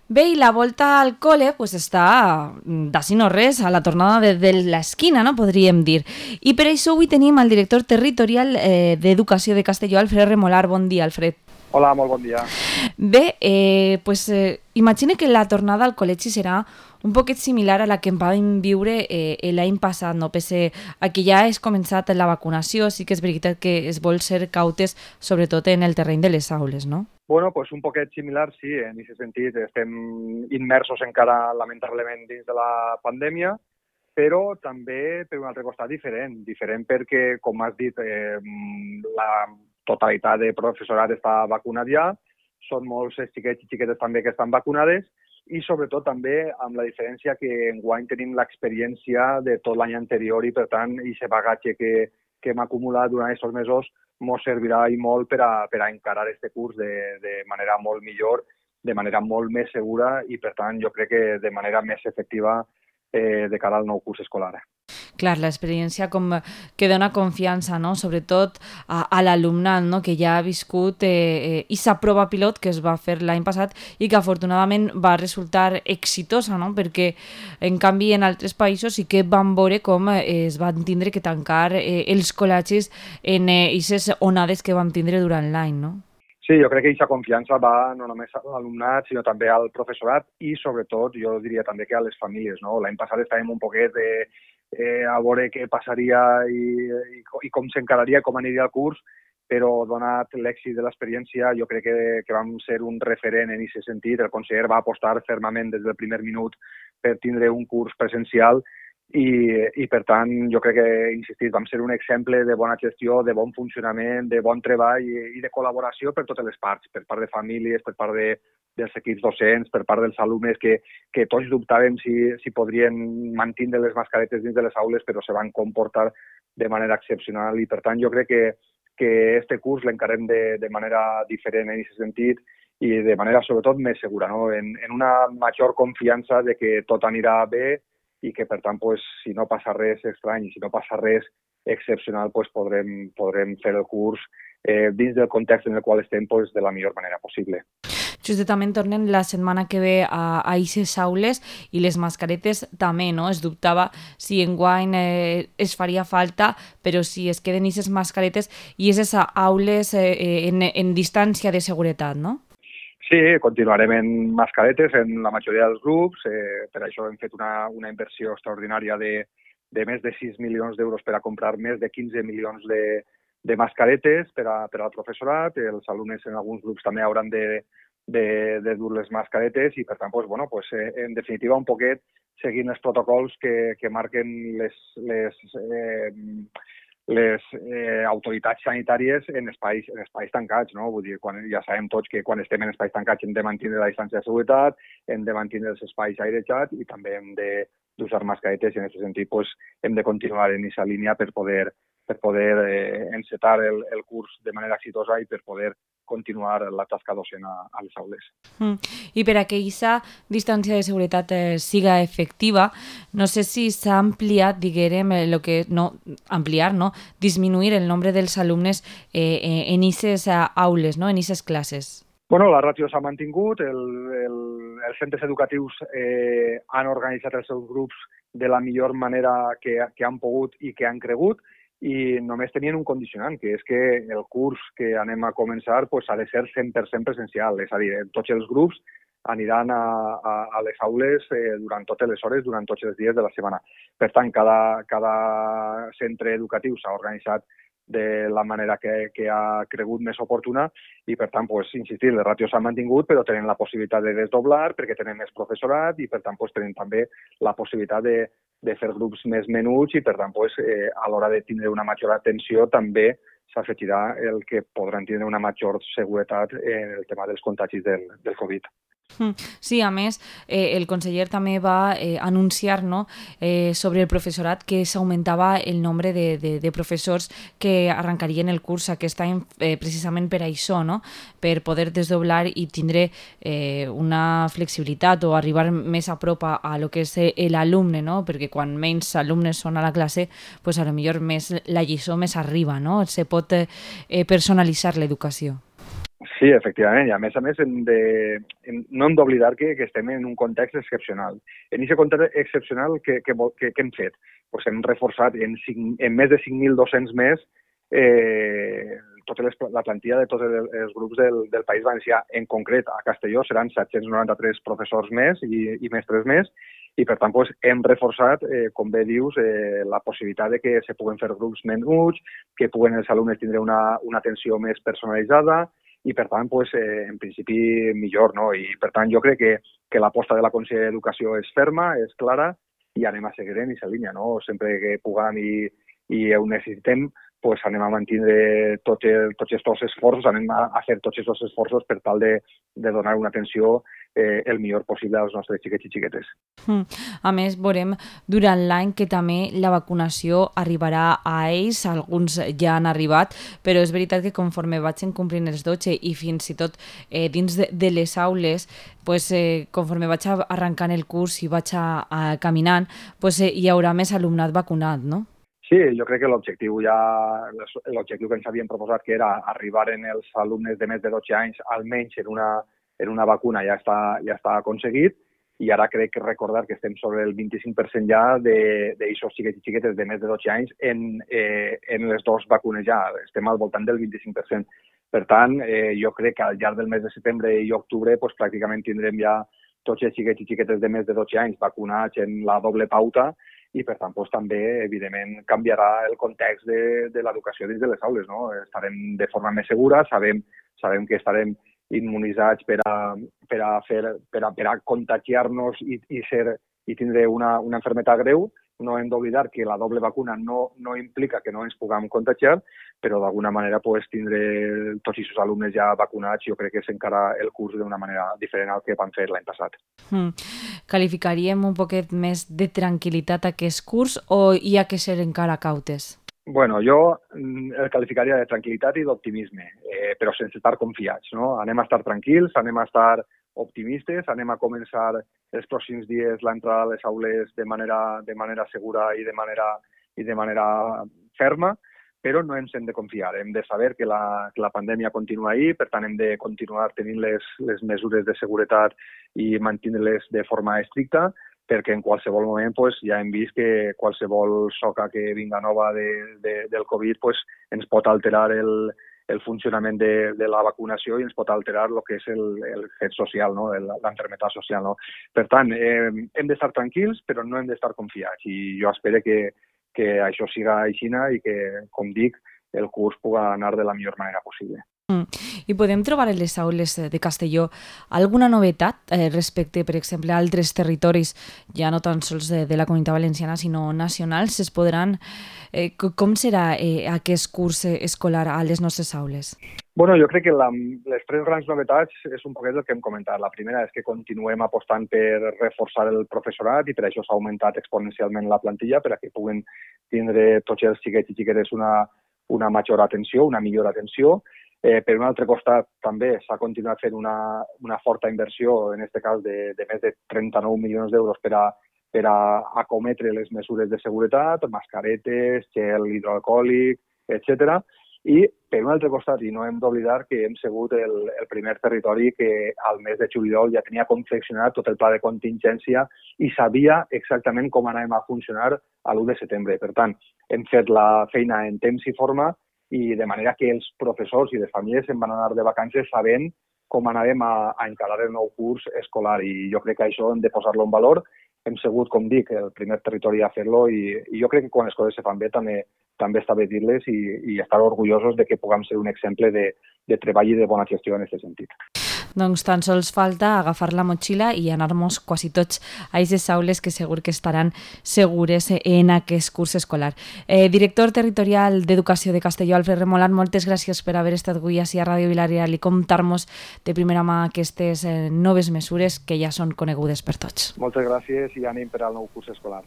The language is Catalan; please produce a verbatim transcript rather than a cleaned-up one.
Bé, i la volta al col·le pues, està d'ací no res, a la tornada de, de l'esquina, no? Podríem dir. I per això avui tenim el director territorial eh, d'Educació de Castelló, Alfred Remolar. Bon dia, Alfred. Hola, molt bon dia. Bé, eh, pues, eh, imagine que la tornada al col·legi serà un poquet similar a la que vam viure eh, l'any passat, no? Pese a que ja és començat la vacunació, sí que és veritat que es vol ser cautes, sobretot en el terreny de les aules, no? Bueno, pues un poquet similar, sí, en aquest sentit estem immersos encara, lamentablement, dins de la pandèmia, però també per un altre costat diferent. Diferent perquè, com has dit, eh, la totalitat de professorat està vacunat ja, són molts xiquets i xiquetes també que estan vacunades, i sobretot també amb la diferència que enguany tenim l'experiència de tot l'any anterior i, per tant, aquest bagatge que, que hem acumulat durant aquests mesos ens servirà i molt per a, per a encarar aquest curs de, de manera molt millor, de manera molt més segura i, per tant, jo crec que de manera més efectiva eh, de cara al nou curs escolar. Clar, l'experiència com que dona confiança, no? Sobretot a, a l'alumnat, no? Que ja ha viscut eh, aquesta prova pilot que es va fer l'any passat i que afortunadament va resultar exitosa, no? Perquè en canvi en altres països sí que van veure com eh, es van tindre que tancar eh, els col·legis en aquestes eh, onades que vam tindre durant l'any, no? Sí, jo crec que aquesta confiança va no només a l'alumnat, sinó també al professorat i, sobretot, jo diria també que a les famílies, no? L'any passat estàvem un poquet de, eh, a veure què passaria i, i, i com s'encararia, com aniria el curs, però donat l'èxit de l'experiència, jo crec que, que vam ser un referent en aquest sentit. El conseller va apostar fermament des del primer minut per tindre un curs presencial i, i per tant, jo crec que, insistit, vam ser un exemple de bona gestió, de bon funcionament, de bon treball i, i de col·laboració per totes les parts, per part de famílies, per part de, dels equips docents, per part dels alumnes, que, que tots dubtàvem si, si podrien mantenir les mascaretes dins de les aules, però se van comportar de manera excepcional i, per tant, jo crec que, que este curs l'encarem de, de manera diferent en aquest sentit i de manera, sobretot, més segura, no? en, en una major confiança de que tot anirà bé i que, per tant, pues, si no passa res estrany, si no passa res excepcional, pues, podrem, podrem fer el curs eh, dins del context en el qual estem pues, de la millor manera possible. Justament tornen la setmana que ve a aquestes aules i les mascaretes també, no? Es dubtava si enguany eh, es faria falta, però si es queden aquestes mascaretes i aquestes aules eh, en, en distància de seguretat, no? Sí, continuarem en mascaretes en la majoria dels grups. Eh, per això hem fet una, una inversió extraordinària de, de més de sis milions d'euros per a comprar més de quinze milions de, de mascaretes per, a, per al professorat. Els alumnes en alguns grups també hauran de, de, de dur les mascaretes i, per tant, pues, bueno, pues, eh, en definitiva, un poquet seguint els protocols que, que marquen les, les, eh, les eh, autoritats sanitàries en espais, en espais tancats, no? Vull dir, quan, ja sabem tots que quan estem en espais tancats hem de mantenir la distància de seguretat, hem de mantenir els espais airejats i també hem de d'usar mascaretes i en aquest sentit pues, hem de continuar en aquesta línia per poder, per poder eh, encetar el, el curs de manera exitosa i per poder continuar la tasca docent a, a les aules. Mm. I per a que aquesta distància de seguretat eh, siga efectiva, no sé si s'ha ampliat, diguem, el que no ampliar, no, disminuir el nombre dels alumnes eh, en aquestes aules, no, en aquestes classes. Bueno, la ràtio s'ha mantingut, el, el, els centres educatius eh, han organitzat els seus grups de la millor manera que, que han pogut i que han cregut, i només tenien un condicionant, que és que el curs que anem a començar pues, ha de ser cent per cent presencial, és a dir, tots els grups aniran a, a, a les aules eh, durant totes les hores, durant tots els dies de la setmana. Per tant, cada, cada centre educatiu s'ha organitzat de la manera que, que ha cregut més oportuna i, per tant, pues, insistir, les ràtios s'han mantingut, però tenen la possibilitat de desdoblar perquè tenen més professorat i, per tant, pues, tenen també la possibilitat de, de fer grups més menuts i, per tant, pues, eh, a l'hora de tindre una major atenció també s'afegirà el que podran tindre una major seguretat en el tema dels contagis del, del Covid. Sí, a més, eh, el conseller també va eh, anunciar, no, eh, sobre el professorat que s'augmentava el nombre de, de, de professors que arrencarien el curs aquest any eh, precisament per això, no? Per poder desdoblar i tindre eh, una flexibilitat o arribar més a prop a, a lo que és l'alumne, no? Perquè quan menys alumnes són a la classe, pues a lo millor més la lliçó més arriba, no? Se pot eh, personalitzar l'educació. Sí, efectivament, i a més a més hem de, hem, no hem d'oblidar que, que estem en un context excepcional. En aquest context excepcional, què que, que, que hem fet? Pues hem reforçat en, cinc, en més de cinc mil dos-cents més eh, tota les, la plantilla de tots els, els grups del, del País Valencià. En concret, a Castelló seran set-cents noranta-tres professors més i, i mestres més, i per tant pues, hem reforçat, eh, com bé dius, eh, la possibilitat de que se puguen fer grups menuts, que puguen els alumnes tindre una, una atenció més personalitzada, i per tant, pues, eh, en principi millor, no? I per tant jo crec que, que l'aposta de la Conselleria d'Educació és ferma, és clara, i anem a seguir en aquesta línia, no? Sempre que puguem i, i ho necessitem, pues anem a mantenir tots, tots aquests esforços, anem a, a fer tots aquests esforços per tal de, de donar una atenció eh, el millor possible als nostres xiquets i xiquetes. A més, veurem durant l'any que també la vacunació arribarà a ells, alguns ja han arribat, però és veritat que conforme vagin complint els dotze i fins i tot eh, dins de, de les aules, pues, eh, conforme vaig arrencant el curs i vaig a, a caminant, pues, eh, hi haurà més alumnat vacunat, no? Sí, jo crec que l'objectiu ja, l'objectiu que ens havíem proposat, que era arribar en els alumnes de més de dotze anys, almenys en una, en una vacuna, ja està, ja està aconseguit, i ara crec que recordar que estem sobre el vint-i-cinc per cent ja d'aixòs xiquets i xiquetes de més de dotze anys en, eh, en les dues vacunes ja, estem al voltant del vint-i-cinc per cent. Per tant, eh, jo crec que al llarg del mes de setembre i octubre pues, pràcticament tindrem ja tots els xiquets i xiquetes de més de dotze anys vacunats en la doble pauta, i per tant pues, també, evidentment, canviarà el context de, de l'educació dins de les aules. No? Estarem de forma més segura, sabem, sabem que estarem immunitzats per a, per a, fer, per a, per a contagiar-nos i, i, ser, i tindre una, una malaltia greu. No hem d'oblidar que la doble vacuna no, no implica que no ens puguem contagiar, però d'alguna manera pues, tindre tots aquests alumnes ja vacunats jo crec que s'encara el curs d'una manera diferent al que vam fer l'any passat. Mm. Qualificaríem un poquet més de tranquil·litat aquest curs o hi ha que ser encara cautes? Bueno, jo el qualificaria de tranquil·litat i d'optimisme, eh, però sense estar confiats. No? Anem a estar tranquils, anem a estar optimistes, anem a començar els pròxims dies l'entrada a les aules de manera, de manera segura i de manera, i de manera ferma, però no ens hem de confiar. Hem de saber que la, que la pandèmia continua ahí, per tant hem de continuar tenint les, les mesures de seguretat i mantenir-les de forma estricta, perquè en qualsevol moment pues, ja hem vist que qualsevol soca que vinga nova de, de, del Covid pues, ens pot alterar el, el funcionament de, de la vacunació i ens pot alterar el que és el, el fet social, no? l'enfermedad social. No? Per tant, eh, hem d'estar tranquils, però no hem d'estar confiats. I jo espero que, que això siga així i que, com dic, el curs pugui anar de la millor manera possible. Mm. I podem trobar en les aules de Castelló alguna novetat eh, respecte, per exemple, a altres territoris, ja no tan sols de, de la Comunitat Valenciana, sinó nacionals? Es podran, eh, com serà eh, aquest curs escolar a les nostres aules? Bueno, jo crec que la, les tres grans novetats és un poquet el que hem comentat. La primera és que continuem apostant per reforçar el professorat i per això s'ha augmentat exponencialment la plantilla per a que puguen tindre tots els xiquets i xiquetes una, una major atenció, una millor atenció. Eh, per un altre costat, també s'ha continuat fent una, una forta inversió, en aquest cas de, de més de trenta-nou milions d'euros per a, per a acometre les mesures de seguretat, mascaretes, gel hidroalcohòlic, etcètera. I per un altre costat, i no hem d'oblidar que hem sigut el, el primer territori que al mes de juliol ja tenia confeccionat tot el pla de contingència i sabia exactament com anàvem a funcionar a l'u de setembre. Per tant, hem fet la feina en temps i forma i de manera que els professors i les famílies se'n van anar de vacances sabent com anàvem a, a encarar el nou curs escolar. I jo crec que això hem de posar-lo en valor. Hem sigut, com dic, el primer territori a fer-lo i, i jo crec que quan les coses se fan bé també, també està bé dir-les i, i estar orgullosos de que puguem ser un exemple de, de treball i de bona gestió en aquest sentit. Doncs tan sols falta agafar la motxilla i anar-nos quasi tots a aquestes aules que segur que estaran segures en aquest curs escolar. Eh, director territorial d'Educació de Castelló, Alfred Remolat, moltes gràcies per haver estat avui ací a Ràdio Vila-real i contar-nos de primera mà aquestes eh, noves mesures que ja són conegudes per tots. Moltes gràcies i ànim per al nou curs escolar.